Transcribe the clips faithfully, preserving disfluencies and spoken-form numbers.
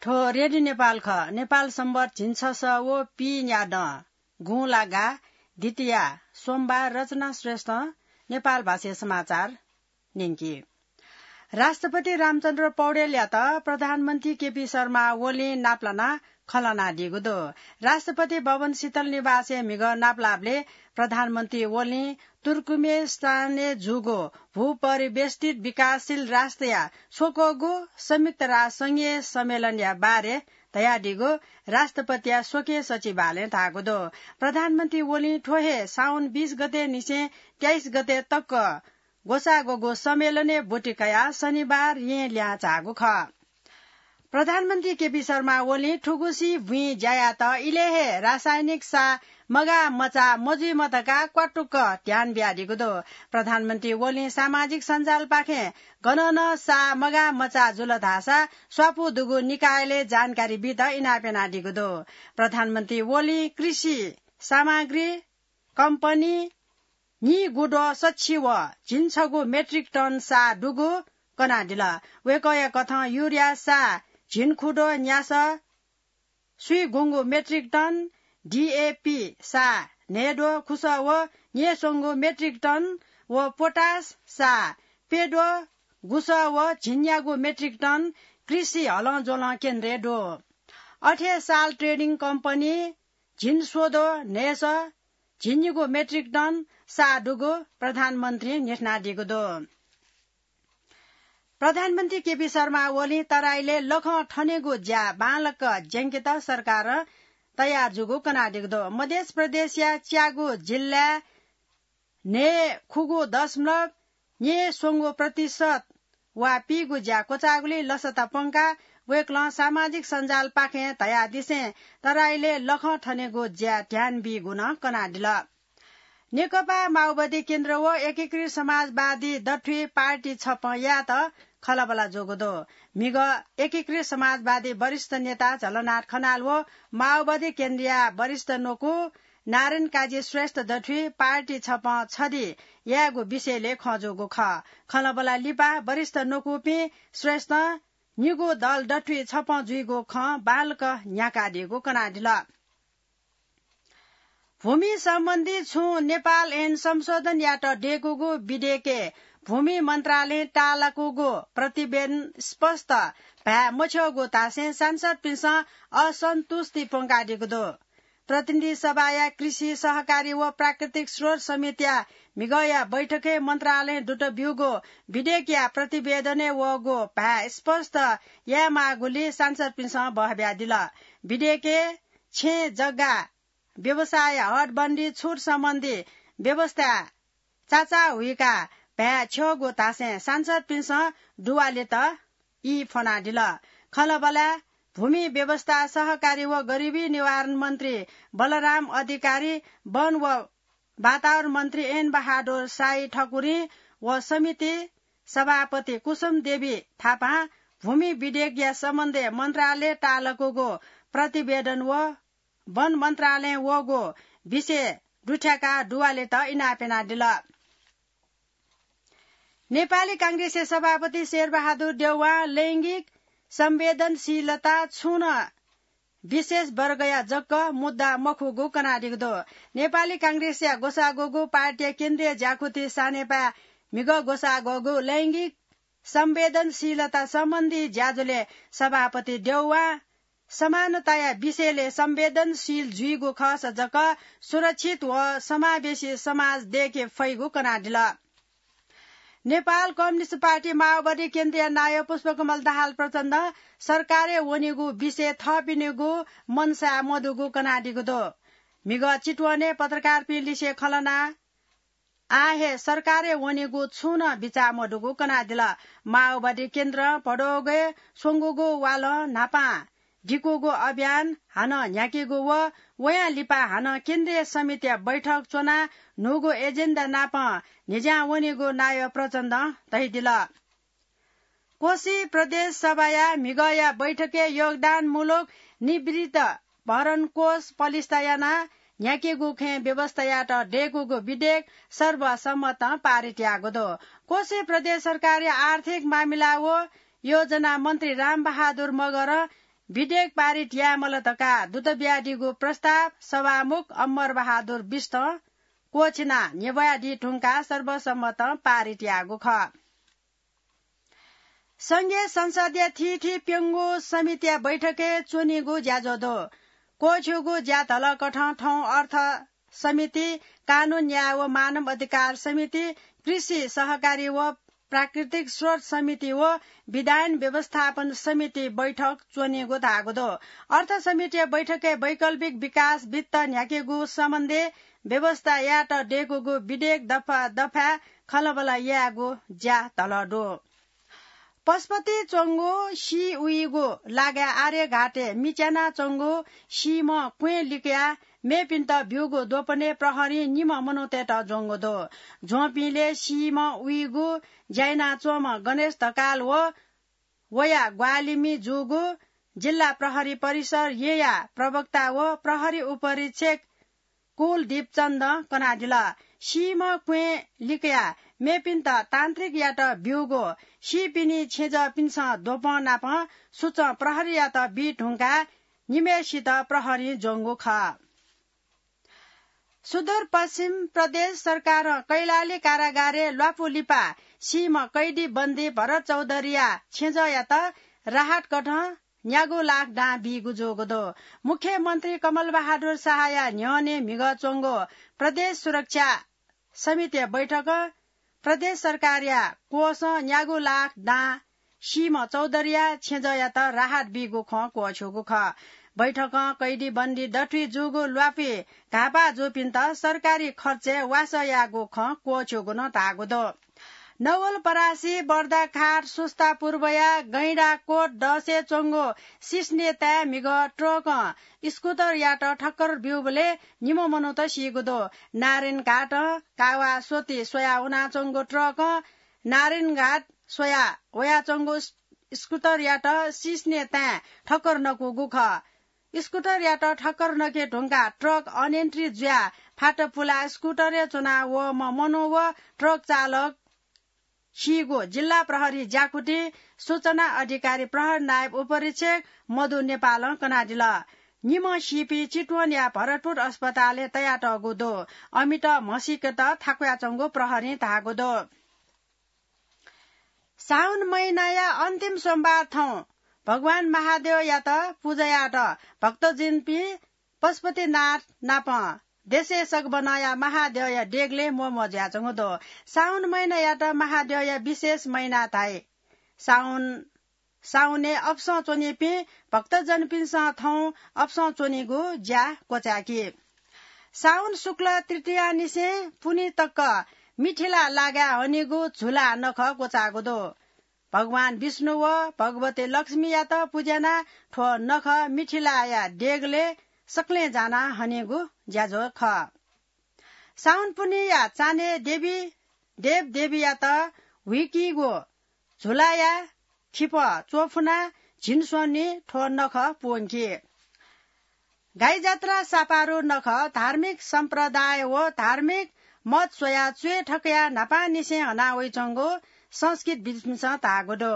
थ्व रेडियो नेपाल खः। नेपाल सम्बत झिंछसः व पीन्यादँ गुंलागा द्वितीया सोमबार रचना श्रेष्ठं नेपाल भाषाय् समाचार न्यंकी। राष्ट्रपति रामचन्द्र पौडेलयात प्रधानमन्त्री केपी शर्मा ओलीं नापलानाः खँ ल्हानादीगु दु। राष्ट्रपति भवन शीतल निवासय् म्हिगः नापलाःबलय् प्रधानमन्त्री ओलीं तुर्कमेनिस्तानय् जूगु भूपरिवेष्टित विकासशील राष्ट्रया स्वक्वःगु संयुक्त राष्ट्र संघीय सम्मेलनया बारे धयादीगु राष्ट्रपतिया स्वकीय सचिवालयं धाःगु दु। प्रधानमन्त्री ओलीं थ्व हे साउन बीस गते निसें तेइस गते तक ग्वसाःग्वःगु सम्मेलनय् ब्वति कयाः शनिबार येँ लिहां झाःगु खः। प्रधानमन्त्री केपी शर्मा ओलीं थुगुसी बुँइ ज्या यात। इलय् हे रासायनिक साः मगाः मचाः मजुइमा धकाः क्वातुक्क ध्यान बियादीगु दु। प्रधानमन्त्री ओलीं सामाजिक सञ्जालपाखें गनं नं साः मगाः मचाः जुल धाःसा स्वापू दुगु निकायलय् जानकारी बीत इनाप यानादीगु दु। प्रधानमन्त्री ओलीं कृषि सामग्री कम्पनी नीगुद्वः सछि व झिंछगू मेट्रिक टन साः दुगु कनादिल। वय्कःया कथं युरिया साः झिंखुद्वः न्यासः स्वीगुंगू मेट्रिक टन, डीएपी साः न्हय्द्वः खुसः व न्यय्स्वंगू मेट्रिक टन व पोटास साः प्यद्वः गुसः व झिंन्यागू मेट्रिक टन कृषि हलंज्वलं केन्द्रय् दु। अथे साल ट्रेडिङ कम्पनी झिंस्वद्वः न्हय्सः झिंनिगू मेट्रिक टन साः दुगु प्रधानमन्त्रीं न्ह्यथनादीगु दु। प्रधानमन्त्री केपी शर्मा ओलीं तराईलय् लखं थनेगु ज्या बांलाक ज्यंकेत सरकारं तयार जूगु कनादीगु दु। मध्य प्रदेशया च्यागू जिल्लाय् न्हय्खुगू दशमलव न्यय्स्वंगू प्रतिशत वा पीगु ज्या क्वचाःगुलिं लसता प्वंकाः वय्कलं सामाजिक सञ्जालपाखें धयादिसें तराईलय् लखं थनेगु ज्या ध्यान बीगु नं कनादिल। नेकपा माओवादी केन्द्र व एकीकृत समाजवादी दथुइ पार्टी छपं यायेत खँल्हाबल्हा जूगु दु। म्हिगः एकीकृत समाजवादी वरिष्ठ नेता झलनाथ खनाल व माओवादी केन्द्रया वरिष्ठ न्वकू नारायण काजी श्रेष्ठ दथुइ पार्टी छपं छधी यायेगु विषयलय् खँ जूगु खः। खँल्हाबल्हा लिपा वरिष्ठ न्वकूपिं श्रेष्ठं निगू दल दथुइ छपं जुइगु खँ बांलाक न्ह्याकादीगु कनादिल। भूमि सम्बन्धी छुं नेपाल ऐन संशोधन यात दय्कूगु विधेयकय् भूमि मन्त्रालयं ताःलाकूगु प्रतिवेदन स्पष्ट भाय् मछ्यःगु धासें सांसदपिन्सं असन्तुष्टि प्वंकादीगु दु। प्रतिनिधि सभाया कृषि, सहकारी व प्राकृतिक स्रोत समितिया म्हिगःया बैठकय् मन्त्रालयं दुत ब्यूगु विधेयकया प्रतिवेदनय् वःगु भाय् स्पष्ट यायेमाःगुलिं सांसदपिन्सं बहब्यादिल। विधेयकय् छेँ जग्गा व्यवसाय हदबन्दी छुट सम्बन्धी व्यवस्था चाचाः हुइकाः भाय् छ्यःगु धासें सांसदपिन्सं दुवालेत ई फ्वनादिल। खँल्हाबल्हाय् भूमि व्यवस्था, सहकारी व गरिबी निवारण मन्त्री बलराम अधिकारी, वन व वातावरण मन्त्री एन बहादुर शाही ठकुरी व समिति सभापति कुसुम देवी थापां भूमि विधेयकया सम्बन्धय् मन्त्रालयं ताःलाकूगु प्रतिवेदन व वन मन्त्रालयं वःगु विषय दुथ्याकाः दुवालेत इनाप यानादिल। नेपाली कांग्रेसया सभापति शेरबहादुर देउवां लैंगिक संवेदनशीलता छुं नं विशेष वर्गया जक मुद्दा मखुगु कनादीगु दु। नेपाली कांग्रेसया ग्वसाः ग्वःगु पार्टीया केन्द्रीय ज्याकुथि सानेपाय् म्हिगः ग्वसाः ग्वःगु लैंगिक संवेदनशीलता सम्बन्धी ज्याझ्वलय् सभापति देउवां समानताया विषयलय् संवेदनशील जुइगु खःसा जक सुरक्षित व समावेशी समाज दय्के फइगु कनादिल। नेपाल कम्युनिस्ट पार्टी माओवादी केन्द्रीय नायः पुष्पकमल दाहाल प्रचण्डं सरकारय् वनेगु विषयय् थःपिनिगु मनसाय मदुगु कनादीगु दु। म्हिगः चितवनय् पत्रकारपिं लिसे खँ ल्हानाः आः हे सरकारय् वनेगु छुं नं बिचाः मदुगु कनादिल। माओवादी केन्द्रं भदौगय् स्वंगूगु वालं न्हापां दिकूगु अभियान हानं न्ह्याकीगु व वयां लिपा हानं केन्द्रीय समितिया बैठक च्वनाः न्हूगु एजेन्डा नापं न्हिज्यां वनीगु नायः प्रचण्डं धयादिल। कोशी प्रदेश सभाया म्हिगःया बैठकय् योगदानमूलक निवृत्ति भरण कोष पलिस्था यानाः न्ह्याकीगु खँय् व्यवस्था यायेत दय्कूगु विधेयक सर्वसम्मतं पारित याःगु दु। कोशी प्रदेश सरकारया आर्थिक मामिला व योजना मन्त्री रामबहादुर मगरं विधेयक पारित यायेमाल धकाः दुत बियादीगु प्रस्ताव सभामुख अमर बहादुर बिष्टं क्वःछिनाः न्ह्यब्वयादी धुंकाः सर्वसम्मतं पारित याःगु खः। संघीय संसदया थीथी प्यंगू समितिया बैठकय् च्वनीगु ज्याझ्वः दु। क्वःछ्यूगु ज्या धलकथं थौं अर्थ समिति, कानून न्याय व मानव अधिकार समिति, कृषि सहकारी व प्राकृतिक स्रोत समिति व विधायन व्यवस्थापन समिति बैठक च्वनीगु धाःगु दु। अर्थ समितिया बैठकय् वैकल्पिक विकास वित्त न्ह्याकेगु सम्बन्धी व्यवस्था यायेत दय्कूगु विधेयक दफा दफाय् खँल्हाबल्हा यायेगु ज्या धलः दु। पशुपति च्वंगु सी उइगु लागाय् आर्यघाटय् मिच्यानाच्वंगु सीम्ह क्वें लिकयाः मेपिन्त ब्यूगु द्वपनय् प्रहरीं निम्ह मनूतय्त ज्वंगु दु। ज्वंपिंलय् सीम्ह उइगु ज्या यानाच्वंम्ह गणेश ढकाल व वया ग्वाहालिमि जूगु जिल्ला प्रहरी परिसर येँया प्रवक्ता व प्रहरी उपरीक्षक कुलदीप चन्दं कनादिल। सीम्ह क्वें लिकयाः मेपिन्त तान्त्रिक यात ब्यूगु सीपिनि छेँजःपिन्सं द्वपं नापं सुचं प्रहरीयात बी धुंकाः निम्हय्सित प्रहरीं ज्वंगु खः। सुदूरपश्चिम प्रदेश सरकारं कैलाली कारागारय् ल्वापु लिपा सीम्ह कैदी बन्दी भरत चौधरीया छेँजःयात राहत कथं न्यागू लाख दां बीगु जूगु दु। मुख्यमन्त्री कमल बहादुर शाहया न्ह्यःने म्हिगः च्वंगु प्रदेश सुरक्षा समितिया बैठकं प्रदेश सरकारया कोषं न्यागू लाख दां सीम्ह चौधरीया छेँजःयात राहत बीगु खँ क्वःछ्यूगु खः। बैठकं कैदी बन्दी दथुइ जूगु ल्वापुइ घाःपाः जूपिन्त सरकारी खर्चय् वासः याःगु खँ क्वःछ्यूगु नं धाःगु दु। नवलपरासी, बर्दाघाट, सुस्ता पूर्वया गैंडाकोट दसय् च्वंगु सिस्नेताय् म्हिगः ट्रकं स्कुटरयात ठक्कर ब्यूबलय् निम्ह मनूत सीगु दु। नारायणघाटं कावासोती स्वयाः वनाच्वंगु ट्रकं नारायणघाट स्वयाः वयाच्वंगु स्कुटरयात सिस्नेताय् ठक्कर नकूगु खः। स्कुटरयात ठक्कर नके धुंकाः ट्रक अनियन्त्रित जुयाः फात पुलाः स्कुटरय् च्वना वःम्ह मनू व ट्रक चालक सीगु जिल्ला प्रहरी ज्याकुथिं सूचना अधिकारी प्रहरी नायब उपरीक्षक मधु नेपालं कनादिल। निम्ह सीपिं चितवनया भरतपुर अस्पतालय् तयातःगु दु। अमित म्हसीकेत थाकुयाच्वंगु प्रहरीं धाःगु दु। साउन महिनाया अन्तिम सोमबार थौं भगवान महादेवयात पुजा यायेत भक्तजनपिं पशुपतिनाथ नाप देशय् सगबनया महादेवया देगलय् म्वःम्वः जुयाच्वंगु दु। साउन महिनायात महादेवया विशेष महिना धाइ। साउन, साउनय् अपसं च्वनीपिं भक्तजनपिन्सं थौं अपसं च्वनीगु ज्या क्वचाय्की। साउन शुक्ल तृतीयानिसें पुन्हि तक मिथिला लागाय् हनीगु झुला नखः क्वचाःगु दु। भगवान विष्णु व भगवती लक्ष्मीयात पुज्यानाः थ्व नखः मिथिलाया देगलय् सकलें जानाः हनीगु ज्याझ्वः खः। साउन पुन्हिया चान्हय् देवी देवदेवीयात हुइकीगु झुलाया खिपः च्वफुनाः झिंस्वन्हु थ्व नखः प्वंकी। गाईजात्रा सापारु नखः धार्मिक सम्प्रदाय व धार्मिक मत स्वयाः च्वय् थकयाः न्हापांनिसें हना वइच्वंगु संस्कृतविद्पिन्सं धाःगु दु।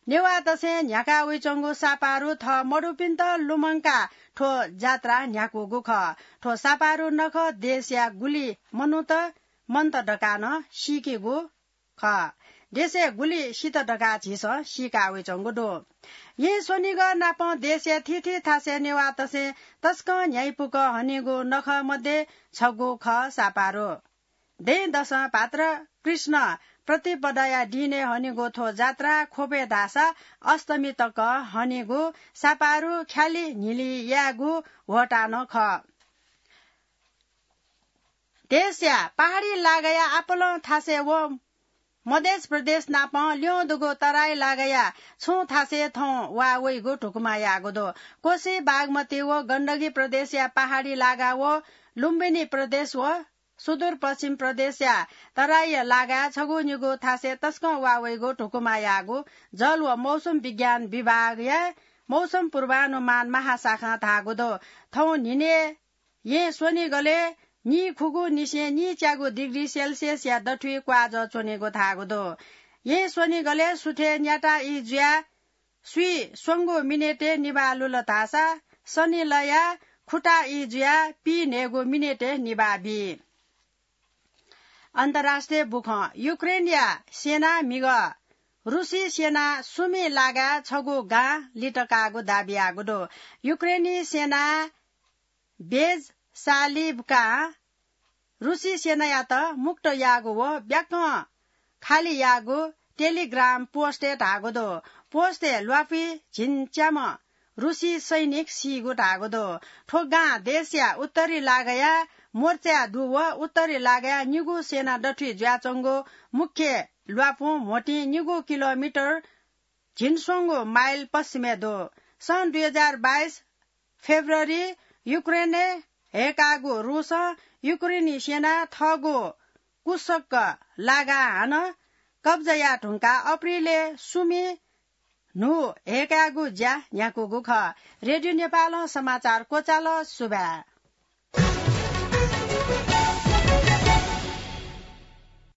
नेवाःतय्सं न्ह्याका वइच्वंगु सापारु थः मदुपिन्त लुमंकाः थ्व जात्रा न्ह्याकूगु खः। थ्व सापारु नखः देशया गुलि मनूत मन्त धकाः नं सीकेगु खः। देशय् गुलि सित धकाः झीसं सीका वइच्वंगु दु। येँ स्वनिगः नाप देशया थीथी थासय् नेवाःतय्सं तसकं न्ह्याइपुक हनीगु नखः मध्ये छगू खः सापारु। दँय् दसं भाद्र कृष्ण प्रतिपदाया दिनय् हनीगु थ्व जात्रा ख्वपय् धाःसा अष्टमी तक हनीगु सापारु ख्यालि न्हिलि यायेगु ह्वःताः नं खः। देशया पहाडी लागाया आपालं थासय् व मधेस प्रदेश नाप ल्यं दुगु तराई लागाया छुं थासय् थौं वा वइगु धुकुमा याःगु दु। कोशी, बागमती व गण्डकी प्रदेशया पहाडी लागा व लुम्बिनी प्रदेश व सुदूरपश्चिम प्रदेशया तराईया लागाय् छगू निगू थासय् तसकं वा वइगु धुकुमा याःगु जल व मौसम विज्ञान विभागया मौसम पूर्वानुमान महाशाखां धाःगु दु। थौं न्हिनय् येँ स्वनिगलय् नीखुगू निसें नीच्यागू डिग्री सेल्सियसया दथुइ क्वाःजः च्वनीगु धाःगु दु। येँ स्वनिगलय् सुथय् न्याता ई जुयाः स्वीस्वंगू मिनेटय् निभाः लुल धाःसा सनिलया खुटा ई जुयाः पीन्हय्गू मिनेटय् निभाः बी। अन्तर्राष्ट्रिय बुखँ। युक्रेनया सेनां म्हिगः रुसी सेना सुमि लागाय् छगू गां लित काःगु दाबी याःगु दु। युक्रेनी सेनां बेजसालिभकां रुसी सेनायात मुक्त याःगु व ब्याकं खालि याःगु टेलिग्राम पोस्टय् धाःगु दु। पोस्टय् ल्वापुइ झिंच्याम्ह रुसी सैनिक सीगु धाःगु दु। थ्व गां देशया उत्तरी लागाया मोर्चाय् दु व उत्तरी लागाया निगू सेना दथुइ जुयाच्वंगु मुख्य ल्वापुं म्होतिं निगू किलोमिटर झिंस्वंगू माइल पश्चिमय् दु। सन् दुई हजार बाइस फेब्रुअरी युक्रेनय् हय्काःगु रुसं युक्रेनी सेनां थःगु कुसक्क लागां हानं कब्जा याये धुंकाः अप्रिलय् सुमि न्हू हय्कायेगु ज्या न्ह्याकूगु खः। रेडियो नेपालं समाचार क्वचाल। सुभाय्।